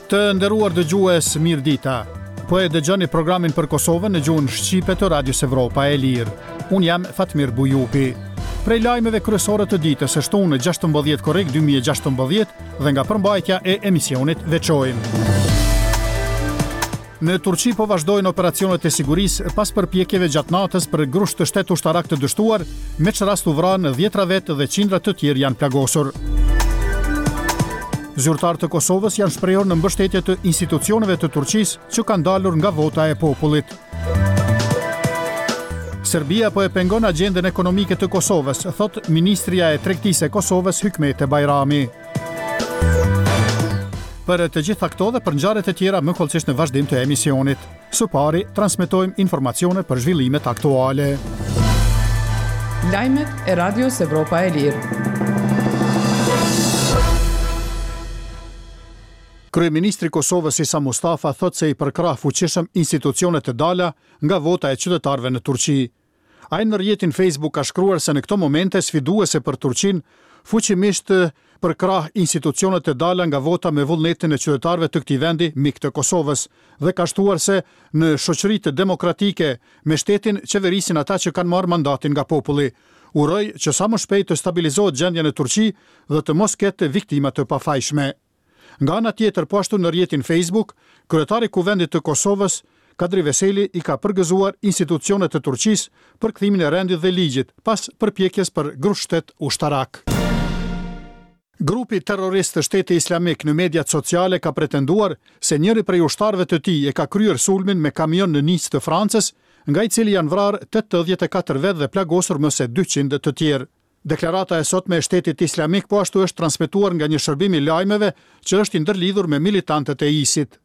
Të nderuar dëgjues, mirëdita. Po e dëgjoni programin për Kosovën në gjuhën shqipe të Radios Evropa e Lirë. Unë jam Fatmir Bujupi. Prej lajmeve kryesore të ditës së shtunë 16 korrik 2016 dhe nga përmbajtja e emisionit veçojmë. Në Turqi po vazhdojnë operacionet e sigurisë pas përpjekjeve gjatë natës për grusht shtet ushtarak të dështuar, me ç'rast u vranë dhjetra vetë dhe qindra të tjerë janë plagosur. Zyrtarë të Kosovës janë shprehur në mbështetje të institucioneve të Turqisë që kanë dalur nga vota e popullit. Serbia po e pengon agjendën ekonomike të Kosovës, thotë ministrja e Tregtisë e Kosovës Hykmete Bajrami. Për të gjitha këto dhe për ngjarjet e tjera më hollësisht në vazhdim të emisionit. Së pari, transmetojmë informacione për zhvillimet aktuale. Lajmet e Radios Evropa e Lirë. Kryeministri i Kosovës Isa Mustafa thotë se i përkrah fuqishëm institucionet e dala nga vota e qytetarëve në Turqi. Ai në rrjetin Facebook ka shkruar se në këto momente sfiduese për Turqinë, fuqimisht përkrah institucionet e dala nga vota me vullnetin e qytetarëve të këtij vendi mik të Kosovës dhe ka shtuar se në shoqëritë demokratike me shtetin qeverisin ata që kanë marrë mandatin nga populli. Uroj që sa më shpejt të stabilizohet gjendja në Turqi dhe të mos ketë viktima të pafajshme. Nga ana tjetër, po ashtu në rrjetin Facebook, kryetari i Kuvendit të Kosovës, Kadri Veseli i ka përgëzuar institucionet e Turqisë për kthimin e rendit dhe ligjit, pas përpjekjes për grusht-shtet ushtarak. Grupi terrorist Shteti Islamik në mediat sociale ka pretenduar se njëri prej ushtarëve të tij e ka kryer sulmin me kamion në Nicë të Francës, nga i cili janë vrarë 84 vetë dhe plagosur më se 200 të tjerë. Deklarata e sotme e Shtetit Islamik po ashtu është transmetuar nga një shërbim i lajmeve që është i ndërlidhur me militantët e ISIT.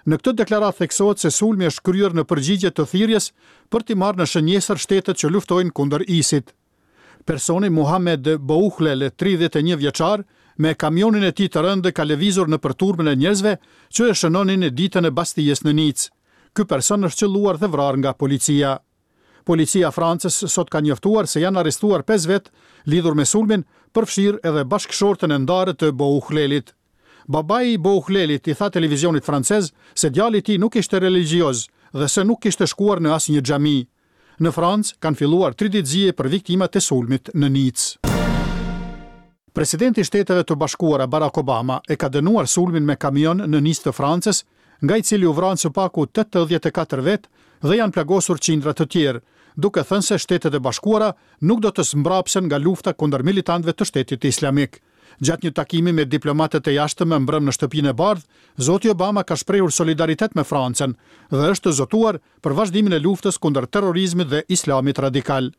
Në këtë deklaratë theksohet se sulmi është kryer në përgjigje të thirrjes për t'i marrë në shënjestër shtetet që luftojnë kundër ISIT. Personi Muhamed Bouhlel, 31 vjeçar, me kamionin e tij të rëndë ka lëvizur nëpër turmën e njerëzve që e shënonin ditën e Bastijës në Nicë. Ky person është qëlluar dhe vrarë nga policia. Policia e Francës sot ka njoftuar se janë arrestuar pesë vetë lidhur me sulmin, përfshirë edhe bashkëshorten e ndarë të Bouhlelit. Babai i Bouhlelit i tha televizionit francez se djali i tij nuk ishte religjioz dhe se nuk kishte shkuar në asnjë xhami. Në Francë kanë filluar tri ditë zie për viktimat e sulmit në Nicë. Presidenti i Shteteve të Bashkuara, Barack Obama, e ka dënuar sulmin me kamion në Nicë të Francës, nga i cili u vranë së paku 84 vetë dhe janë plagosur qindra të tjerë, duke thënë se Shtetet e Bashkuara nuk do të zmbrapsen nga lufta kundër militantëve të Shtetit Islamik. Gjatë një takimi me diplomatët e jashtëm mbrëmë në Shtëpinë e Bardhë, zoti Obama ka shprehur solidaritet me Francën dhe është zotuar për vazhdimin e luftës kundër terrorizmit dhe islamit radikal.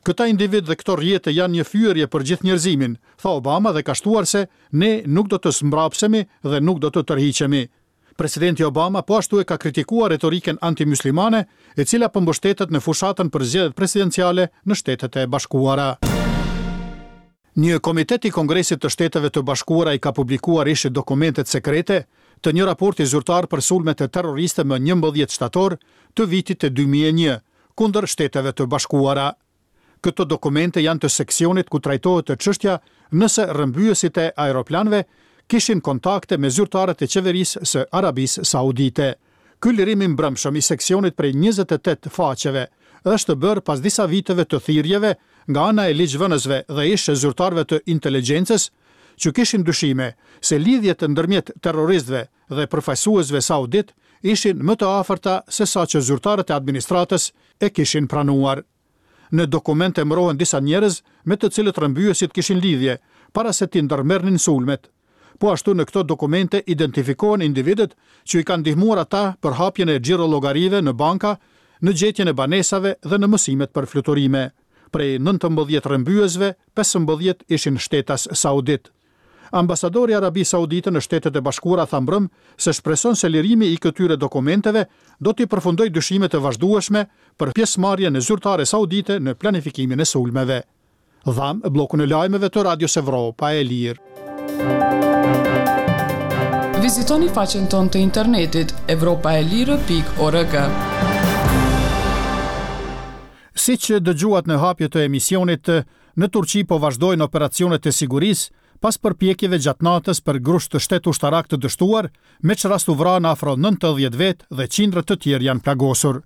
Këta individë dhe këto rrjete janë një fyerje për gjithë njerëzimin, tha Obama dhe ka shtuar se ne nuk do të zmbrapsemi dhe nuk do të tërhiqemi. Presidenti Obama po ashtu e ka kritikuar retorikën anti-myslimane, e cila po mbështetet në fushatën për zgjedhjet presidenciale në Shtetet e Bashkuara. Një komitet i Kongresit të Shteteve të Bashkuara i ka publikuar ish dokumentet sekrete të një raporti zyrtar për sulmet terroriste më 11 shtator të vitit 2001, kundër Shteteve të Bashkuara. Këto dokumente janë të seksionit ku trajtohet çështja nëse rrëmbyesit e aeroplanëve kishin kontakte me zyrtarët e qeverisë së Arabisë Saudite. Ky lirim i mbrëmshëm i seksionit prej 28 faqeve është bërë pas disa viteve të thirrjeve nga ana e ligjvënësve dhe ish zyrtarëve të inteligjencës që kishin dyshime se lidhjet ndërmjet terroristëve dhe përfaqësuesve sauditë ishin më të afërta se sa që zyrtarët e administratës e kishin pranuar. Në dokument emërohen disa njerëz me të cilët rrëmbyesit kishin lidhje, para se t'i ndërmerrnin sulmet. Po ashtu në këto dokumente identifikohen individët që i kanë ndihmuar ata për hapjen e xhirollogarive në banka, në gjetjen e banesave dhe në mësimet për fluturime. Prej 19 rrëmbyesve, 15 ishin shtetas sauditë. Ambasadori i Arabisë Saudite në Shtetet e Bashkuara tha mbrëmë se shpreson se lirimi i këtyre dokumenteve do t'i përfundojë dyshimet e vazhdueshme për pjesëmarrjen e zyrtare saudite në planifikimin e sulmeve. Dhamë bllokun e lajmeve të Radios Evropa e Lirë. Vizitoni faqen tonë të internetit evropaelire.org. Siç dëgjuat në hapje të emisionit, në Turqi po vazhdojnë operacionet e sigurisë. pas përpjekjeve gjatë natës për grusht të shtet ushtarak të dështuar, me ç'rast u vranë afro 90 vetë dhe qindra të tjerë janë plagosur.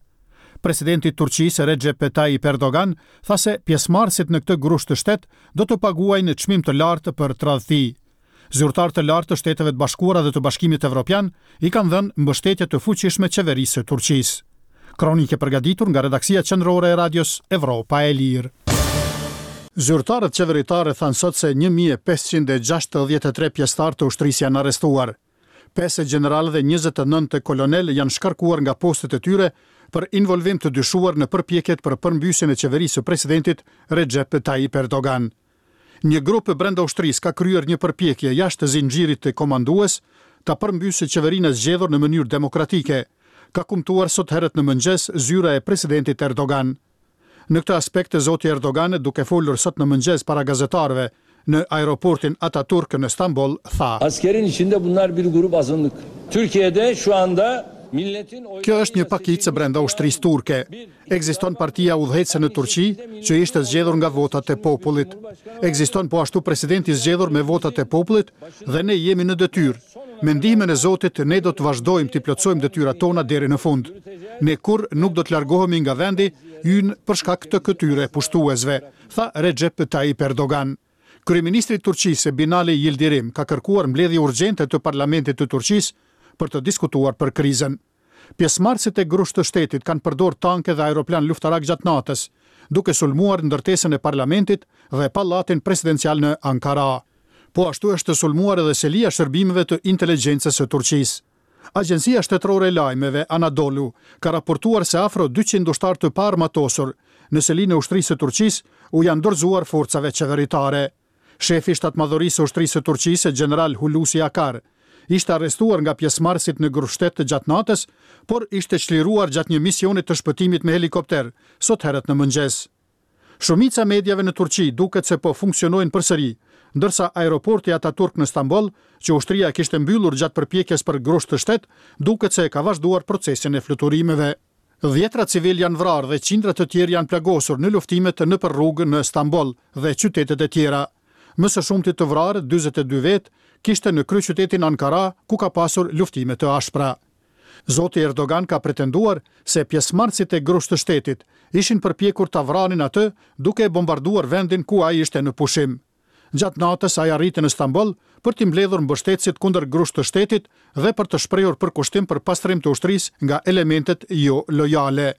Presidenti i Turqisë, Rexhep Tayyip Erdogan, tha se pjesëmarrësit në këtë grusht të shtet do të paguajnë çmim të lartë për tradhti. Zyrtarë të lartë të Shteteve të Bashkuara dhe të Bashkimit Evropian i kanë dhënë mbështetje të fuqishme qeverisë së Turqisë. Kronikë e përgatitur nga redaksia qendrore e Radios Evropa e Lirë. Zyrtarët qeveritarë thanë sot se 1563 pjesëtarë të ushtrisë janë arrestuar. Pesë gjeneralë dhe 29 kolonelë janë shkarkuar nga postet e tyre për involvim të dyshuar në përpjekjet për përmbysjen e qeverisë së presidentit Recep Tayyip Erdogan. Një grup brenda ushtrisë ka kryer një përpjekje jashtë zinxhirit komandues ta përmbysë qeverinë e zgjedhur në mënyrë demokratike, ka kumtuar sot herët në mëngjes zyra e presidentit Erdogan. Në këtë aspekt, zoti Erdogan, duke folur sot në mëngjes para gazetarëve në aeroportin Ataturk në Stamboll, tha. Askerin içinde bunlar bir grup azınlık. Türkiye'de şu anda milletin Kjo është një pakicë brenda ushtrisë turke. Ekziston partia udhëheqëse në Turqi, që ishte zgjedhur nga votat e popullit. Ekziston po ashtu presidenti i zgjedhur me votat e popullit dhe ne jemi në detyrë. Me ndihmën e Zotit ne do të vazhdojmë t'i plotësojmë detyrat tona deri në fund. Ne kurrë nuk do të largohemi nga vendi ynë për shkak të këtyre pushtuesve, tha Rexhep Tayyip Erdogan. Kryeministri i Turqisë, Binali Yildirim, ka kërkuar mbledhje urgjente të parlamentit të Turqisë për të diskutuar për krizën. Pjesëmarrësit e grusht të shtetit kanë përdorë tanke dhe aeroplanë luftarakë gjatë natës, duke sulmuar ndërtesën e parlamentit dhe pallatin presidencial në Ankara. Po ashtu është sulmuar edhe selia e shërbimeve të inteligjencës së Turqisë. Agjencia shtetërore e lajmeve, Anadolu, ka raportuar se afro 200 ushtarë të paarmatosur në selinë e ushtrisë së Turqisë u janë dorëzuar forcave qeveritare. Shefi i Shtatmadhorisë së Ushtrisë së Turqisë, gjeneral Hulusi Akar, ishte arrestuar nga pjesëmarrësit në grushtshtet gjatë natës, por ishte çliruar gjatë një misioni të shpëtimit me helikopter, sot herët në mëngjes. Shumica e mediave në Turqi duket se po funksionojnë përsëri, ndërsa aeroporti Ataturk në Stamboll, që ushtria e kishte mbyllur gjatë përpjekjes për grusht të shtet, duket se e ka vazhduar procesin e fluturimeve. Dhjetra civilë janë vrarë dhe qindra të tjerë janë plagosur në luftimet nëpër rrugë në Stamboll dhe qytetet e tjera. Më së shumti të vrarë, 42 vetë, kishte në kryeqytetin Ankara, ku ka pasur luftime të ashpra. Zoti Erdogan ka pretenduar se pjesëmarrësit e grusht të shtetit ishin përpjekur ta vranin atë duke e bombarduar vendin ku ai ishte në pushim. Gjatë natës ai arriti në Stamboll për t'i mbledhur mbështetësit kundër grusht të shtetit dhe për të shprehur përkushtim për pastrim të ushtrisë nga elementet jo lojale.